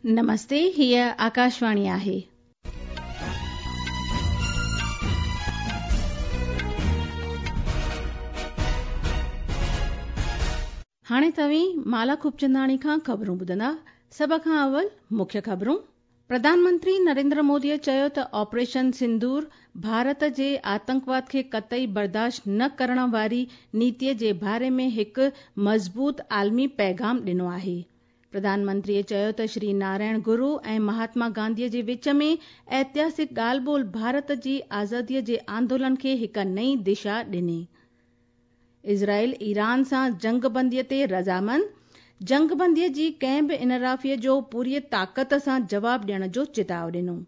نمستي، هيء آڪاشواڻي آهي. هاڻي توهين مالا خوبچنداڻي کان خبرون ٻڌندا. سڀ کان اول مکيه خبرون. پرڌان منتري نريندر موديء چيو ته آپريشن سندور ڀارت جي آتنڪواد کي قطعي برداشت نه ڪرڻ واري نيتيء جي باري ۾ هڪ مضبوط عالمي پيغام ڏنو آهي. پرڌان منتريء چيو ته شري نارائڻ گرو ۽ مهاتما گانڌيء جي وچ ۾ ائتهاسڪ ڳالهه ٻولهه ڀارت جي آزاديء جي آندولن کي هڪ نئين دشا ڏني. اسرائيل ايران سان جنگبنديء تي رضامند، جنگبنديء جي ڪنهن به انحرافيء جو پوريء طاقت سان جواب ڏيڻ جو چتاء ڏنو.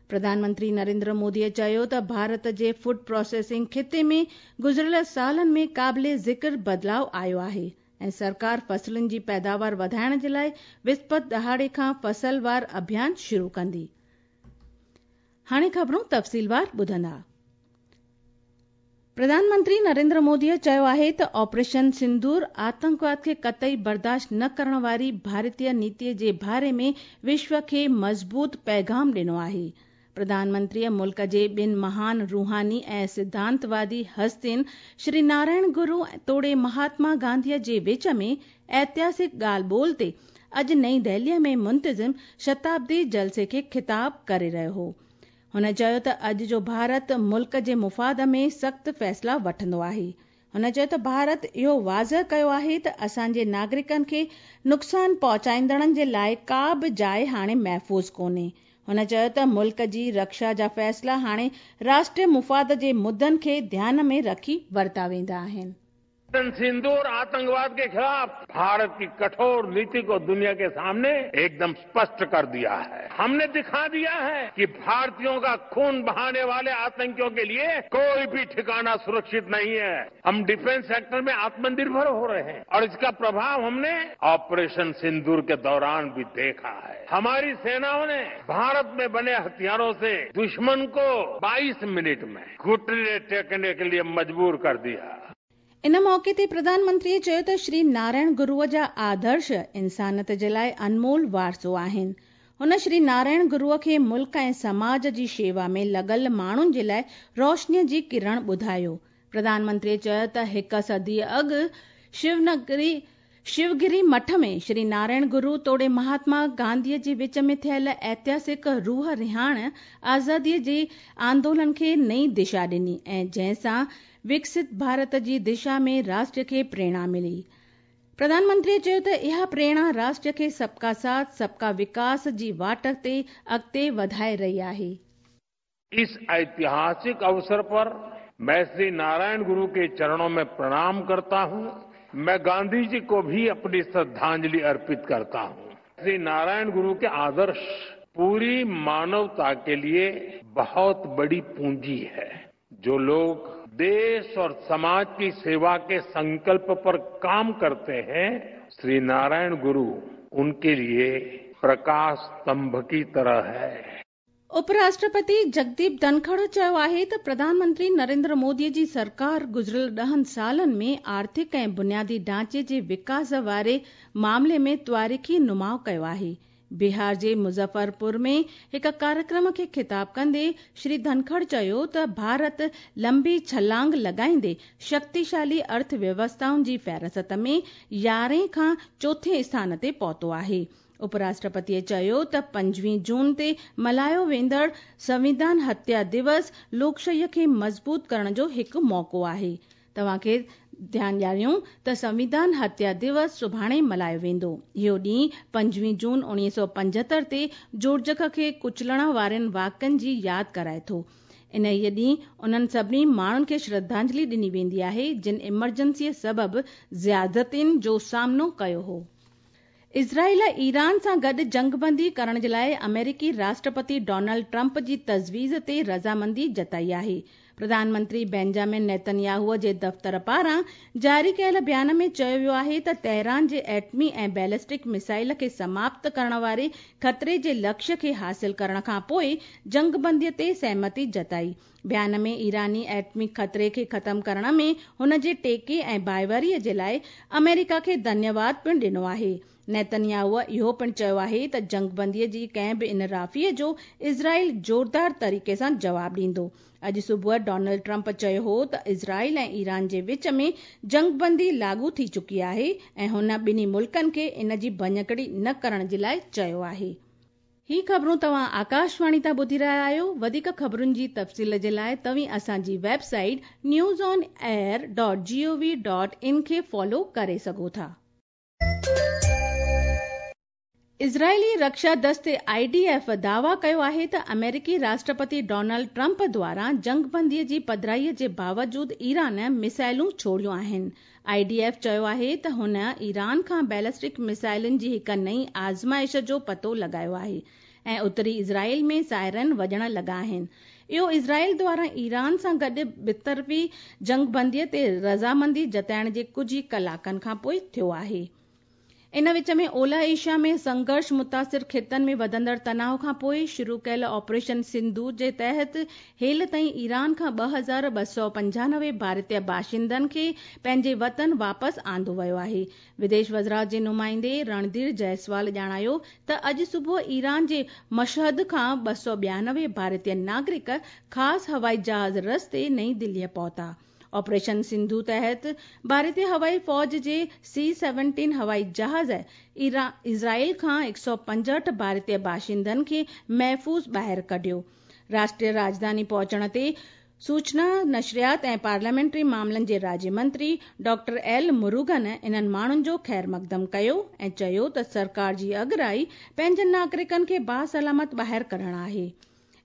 پرڌان منتري نريندر موديء چيو ته ڀارت جي فوڊ پراسيسنگ خطي ۾ گذريل سالن ۾ قابل ذڪر بدلاء آيو آهي ۽ سرڪار فصلن جي پيداوار وڌائڻ جي لاء وسپت ڏهاڙي کان فصل وار اڀيان شروع ڪندي. هاڻي خبرون تفصيلوار ٻڌندا. پرڌان منتري نريندر موديء چيو آهي ته آپريشن سندور آتنڪواد کي قطعي برداشت نه ڪرڻ واري ڀارتي نيتي جي باري ۾ وشو کي مضبوط پيغام ڏنو آهي. پرڌان منتريء ملڪ جي ٻن مهان روحاني ۽ سڌانتوادي هستين شري نارائڻ گرو توڙي مهاتما گانڌيء جي وچ ۾ ائتهاسڪ ڳالهه ٻولهه تي اڄ نئين دهليء ۾ منتظم شتابدي جلسي کي خطاب ڪري رهيو هو. هن چيو ته اڄ جو ڀارت ملڪ جي مفاد ۾ سخت فيصلا وٺندو آهي. هن چيو ته ڀارت اهو واضح ڪيو آهي ته اسان جي ناگرڪن کي نقصان پهچائيندڙن جي لاء ڪا به جاء هاڻي محفوظ ڪونهي. هن چيو ته ملڪ جي رڪشا جا فيصلا هاڻي راشٽري مفاد جي مدن کي ڌيان ۾ رکي ورتا ويندا آهن. सिंदूर आतंकवाद के खिलाफ भारत की कठोर नीति को दुनिया के सामने एकदम स्पष्ट कर दिया है। हमने दिखा दिया है कि भारतीयों का खून बहाने वाले आतंकियों के लिए कोई भी ठिकाना सुरक्षित नहीं है। हम डिफेंस सेक्टर में आत्मनिर्भर हो रहे हैं और इसका प्रभाव हमने ऑपरेशन सिंदूर के दौरान भी देखा है। हमारी सेनाओं ने भारत में बने हथियारों से दुश्मन को 22 मिनट में घुटने टेकने के लिए मजबूर कर दिया। ان موقعي تي پرڌان منتريء چيو ته شري نارائڻ گروء جا آدرش انسانيت جي لاء انمول وارثو آهن. هن شري نارائڻ گروء کي ملڪ ۽ سماج جي شيوا ۾ لڳل ماڻهن جي لاء روشنيء جي ڪرڻ ٻڌايو. پرڌان منتريء چيو ته هڪ صدي اڳ شونگري شوگري مٺ ۾ شري نارائڻ گرو توڙي مهاتما گانڌيء جي وچ ۾ ٿيل ائتهاسڪ روح رهاڻ آزاديء جي آندولن کي نئين دشا ڏني ۽ جنهن سان وڪست ڀارت جي دشا ۾ راشٽر کي پريرڻا ملي. پرڌان منتريء چيو ته اها پريرڻا راشٽر کي سب ڪا ساٿ، سب ڪا وڪاس جي واٽ تي اڳتي وڌائي رهي آهي. इस ऐतिहासिक अवसर पर मैं श्री नारायण गुरु के चरणों में प्रणाम करता हूं। मैं गांधी जी को भी अपनी श्रद्धांजलि अर्पित करता हूं। श्री नारायण गुरु के आदर्श पूरी मानवता के लिए बहुत बड़ी पूंजी है। जो लोग देश और समाज की सेवा के संकल्प पर काम करते हैं, श्री नारायण गुरु उनके लिए प्रकाश स्तंभ की तरह है। उपराष्ट्रपति जगदीप धनखड़ चयो आहे त प्रधानमंत्री नरेंद्र मोदीअ जी सरकार गुज़िरियल ॾहनि सालनि में आर्थिक ऐं बुनियादी ढांचे जे विकास वारे मामले में तवारीख़ी नुमाउ कयो आहे। बिहार जे मुज़फ़रपुर में हिकु कार्यक्रम खे ख़िताब कंदे श्री धनखड़ चयो त भारत लंबी छलांग लॻाईंदे शक्तिशाली अर्थव्यवस्थाउनि जी फ़हरिस्त में यारहें खां चोथें स्थान ते पहुतो आहे। उपराष्ट्रपतीअ चयो त पंजवीह जून ते मल्हायो वेंदड़ संविधान हत्या दिवस लोकशाहीअ खे मज़बूत करण जो हिकु मौक़ो आहे। तव्हां खे ध्यान ॾियारियूं त संविधान हत्या दिवस सुभाणे मल्हायो वेंदो। इहो ॾींहुं पंजवीह जून उणिवीह सौ पंजहतरि ते जोड़जक खे कुचलण वारनि वाक़इनि जी यादि कराए थो। इन्हीअ ॾींहुं उन्हनि सभिनी माण्हुनि खे श्रद्धांजलि ॾिनी वेंदी आहे जिन इमरजेंसीअ सबबु ज़्यादतियुनि जो सामनो कयो हो। इज़राइल ईरान सां गॾु जंगबंदी करण जे लाइ अमेरिकी राष्ट्रपति डोनाल्ड ट्रंप जी तजवीज़ ते रज़ामंदी जताई आहे। प्रधानमंत्री बेंजामिन नेतन्याहूअ जे दफ़्तर पारां जारी कयल बयान में चयो वियो आहे त तेहरान जे एटमी ऐं बैलिस्टिक मिसाइल खे समाप्त करण वारे ख़तरे जे लक्ष्य खे हासिल करण खां पोइ जंगबंदीअ ते सहमति जताई। بيان ۾ ايراني ايٽمي خطري کي ختم ڪرڻ ۾ هن جي ٽيڪي ۽ ڀائيواري جي لاء آمريڪا کي ڌنيواد پڻ ڏنو آهي. نيتنياهو اهو پڻ چيو آهي ته جنگبندي جي ڪنهن به انحرافي جو اسرائيل زوردار طريقي سان جواب ڏيندو. اڄ صبح ڊونلڊ ٽرمپ چيو هو ته اسرائيل ۽ ايران جي وچ ۾ جنگبندي لاڳو ٿي چڪي آهي ۽ هن ٻنهي ملڪن کي ان جي ڀڃڪڙي نه ڪرڻ جي لاء چيو آهي. هي خبرون توهان آڪاشواڻي تان ٻڌي رهيا آهيو. وڌيڪ خبرن جي تفصيل جي لاء توهين اسان جي website news on air dot G O V dot in کي فالو ڪري سگهو ٿا. اسرائيلي رڪشا دستي I D F دعويٰ ڪيو آهي ته آمريڪي راشٽرپتي ڊونلڊ ٽرمپ دواران جنگبندي جي پڌرائي جي باوجود ايران ميسائلون ڇوڙيون آهن. I D F چيو آهي ته هن ايران کان بيلسٽڪ ميسائلن جي هڪ نئين آزمائش جو پتو لڳايو آهي ۽ اتري اسرائيل ۾ سائرن وڄڻ لڳا آهن. اهو اسرائيل دواران ايران سان گڏ ٻطرفي جنگبندي تي رضامندي جتائڻ جي ڪجهه ئي ڪلاڪن کانپوء ٿيو آهي. ان وچ ۾ اولهه ايشيا ۾ سنگهرش متاثر خطن ۾ وڌندڙ تناء کانپوء شروع ڪيل آپريشن سنڌور جي تحت هيل تائين ايران کان 2295 ڀارتي باشندن کي پنهنجي وطن واپس آندو ويو آهي. وديش وزارت جي نمائندي رڻڌير جئسوال ڄاڻايو ته اڄ صبح ايران جي مشهد کان 292 ڀارتي ناگرڪ خاص هوائي جهاز رستي نئين دليء پهتا. آپريشن سنڌو تحت ڀارتي هوائي فوج جي سي سيونٽين هوائي جهاز اسرائيل کان 165 ڀارتي باشندن کي محفوظ ٻاهر ڪڍيو. راشٽريه راڄڌاني پهچڻ تي سوچنا، نشريات ۽ پارليامينٽري معاملن جي راڄي منتري ڊاڪٽر ايل مروگن انهن ماڻهن جو خيرمقدم ڪيو ۽ چيو ته سرڪار جي اڳرائي پنهنجن ناگرڪن کي باسلامت ٻاهر ڪڍڻ آهي.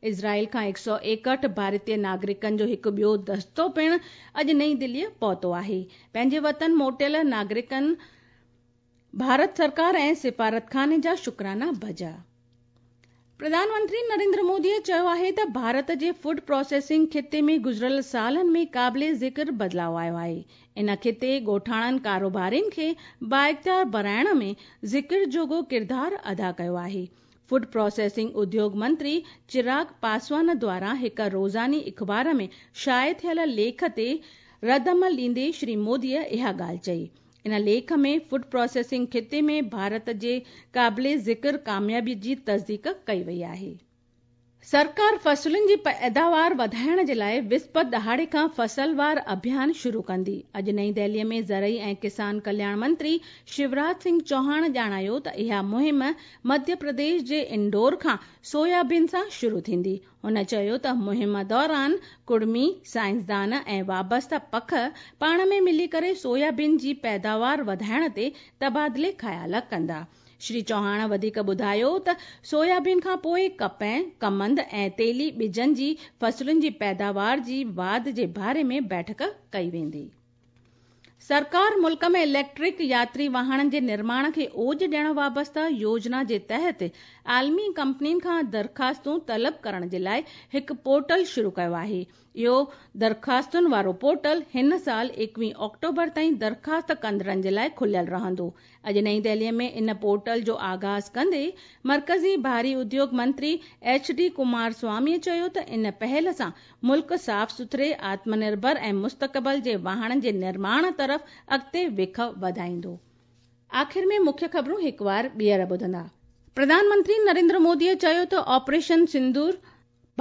اسرائيل کان 161 ڀارتي ناگرڪن جو هڪ ٻيو دستو پڻ اڄ نئين دليء پهتو آهي. پنهنجي وطن موٽيل ناگرڪن ڀارت سرڪار ۽ سفارتخاني جا شڪرانا بجا. پرڌان منتري نريندر مودي چيو آهي ته ڀارت جي فوڊ پراسيسنگ خطي ۾ گذريل سالن ۾ قابل ذڪر بدلاء آيو آهي. ان خطي ڳوٺاڻن ڪاروبارين کي بااختيار بڻائڻ ۾ ذڪر جوڳو ڪردار ادا ڪيو آهي. فوڊ پراسيسنگ اديوگ منتري چراغ پاسوان دواران هڪ روزاني اخبار ۾ شايع ٿيل ليک تي ردعمل ڏيندي شري مودي اها ڳالهه چئي. ان ليک ۾ فوڊ پراسيسنگ خطي ۾ ڀارت جي قابل ذڪر ڪاميابي جي تصديق ڪئي وئي آهي. سرڪار فصلن جي پيداوار وڌائڻ جي لاء وسپت ڏهاڙي کان فصلوار اڀيان شروع ڪندي. اڄ نئين دهلي ۾ زرعي ۽ ڪسان ڪلياڻ منتري شيوراج سنگهه چوهاڻ ڄاڻايو ته اها مهم مڌيه پرديش جي انڊور کان سويابين سان شروع ٿيندي. هن چيو ته مهم دوران ڪڙمي، سائنسدان ۽ وابسته پک پاڻ ۾ ملي ڪري سويابين جي پيداوار وڌائڻ تي تبادلي خيال ڪندا. شري چوهاڻ وڌيڪ ٻڌايو ته سويابين کان پوء ڪپهه، ڪمند ۽ تيلي ٻجن جي فصلن جي پيداوار جي واڌ جي باري ۾ بيٺڪ ڪئي ويندي. سرڪار ملڪ ۾ اليڪٽرڪ ياتري واهڻن جي نرماڻ کي اوج ڏيڻ وابسته يوجنا جي تحت عالمي ڪمپنين کان درخواستون طلب ڪرڻ جي لاء هڪ پورٽل شروع ڪيو آهي. اهو درخواستن وارو پورٽل هن سال 21 آڪٽوبر تائين درخواست ڪندڙن جي لاء کليل رهندو. اڄ نئين دهلي ۾ ان پورٽل جو آغاز ڪندي مرڪزي ڀاري اديوگ منتري ايڇ ڊي ڪمار سوامي چيو ته ان پهل سان ملڪ صاف سٿري، آتم نرڀر ۽ مستقبل جي واهڻن جي نرماڻ طرف اڳتي وک وڌائيندو. آخر ۾ مکيه خبرون هڪوار ٻيهر ٻڌندا. پرڌان منتري نريندر مودي چيو ته آپريشن سندور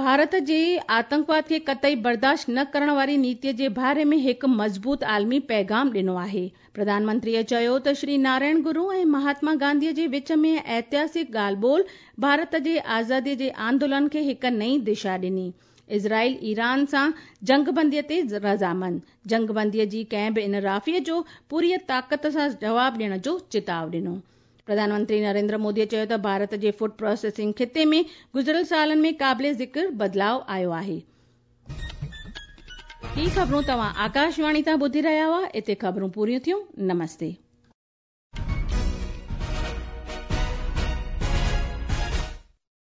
ڀارت جي آتنڪواد کي قطعي برداشت نه ڪرڻ واري نيتي جي باري ۾ هڪ مضبوط عالمي پيغام ڏنو آهي. پرڌان منتري چيو ته شري نارائڻ گرو ۽ مهاتما گانڌي جي وچ ۾ ائتهاسڪ ڳالهه ٻولهه ڀارت جي آزادي جي آندولن کي هڪ نئين دشا ڏني. اسرائيل ايران سان جنگبندي تي رضامند، جنگبندي جي ڪنهن به انحرافي جو پوريء طاقت سان جواب ڏيڻ جو چتاء ڏنو. پرڌان منتري نريندر مودي چيو ته ڀارت جي فوڊ پراسيسنگ خطي ۾ گذريل سالن ۾ قابل ذڪر بدلاء آيو آهي. هي خبرون توهان آڪاشواڻي تان ٻڌي رهيا هئا. اتي خبرون پوريون ٿيون. نمستي.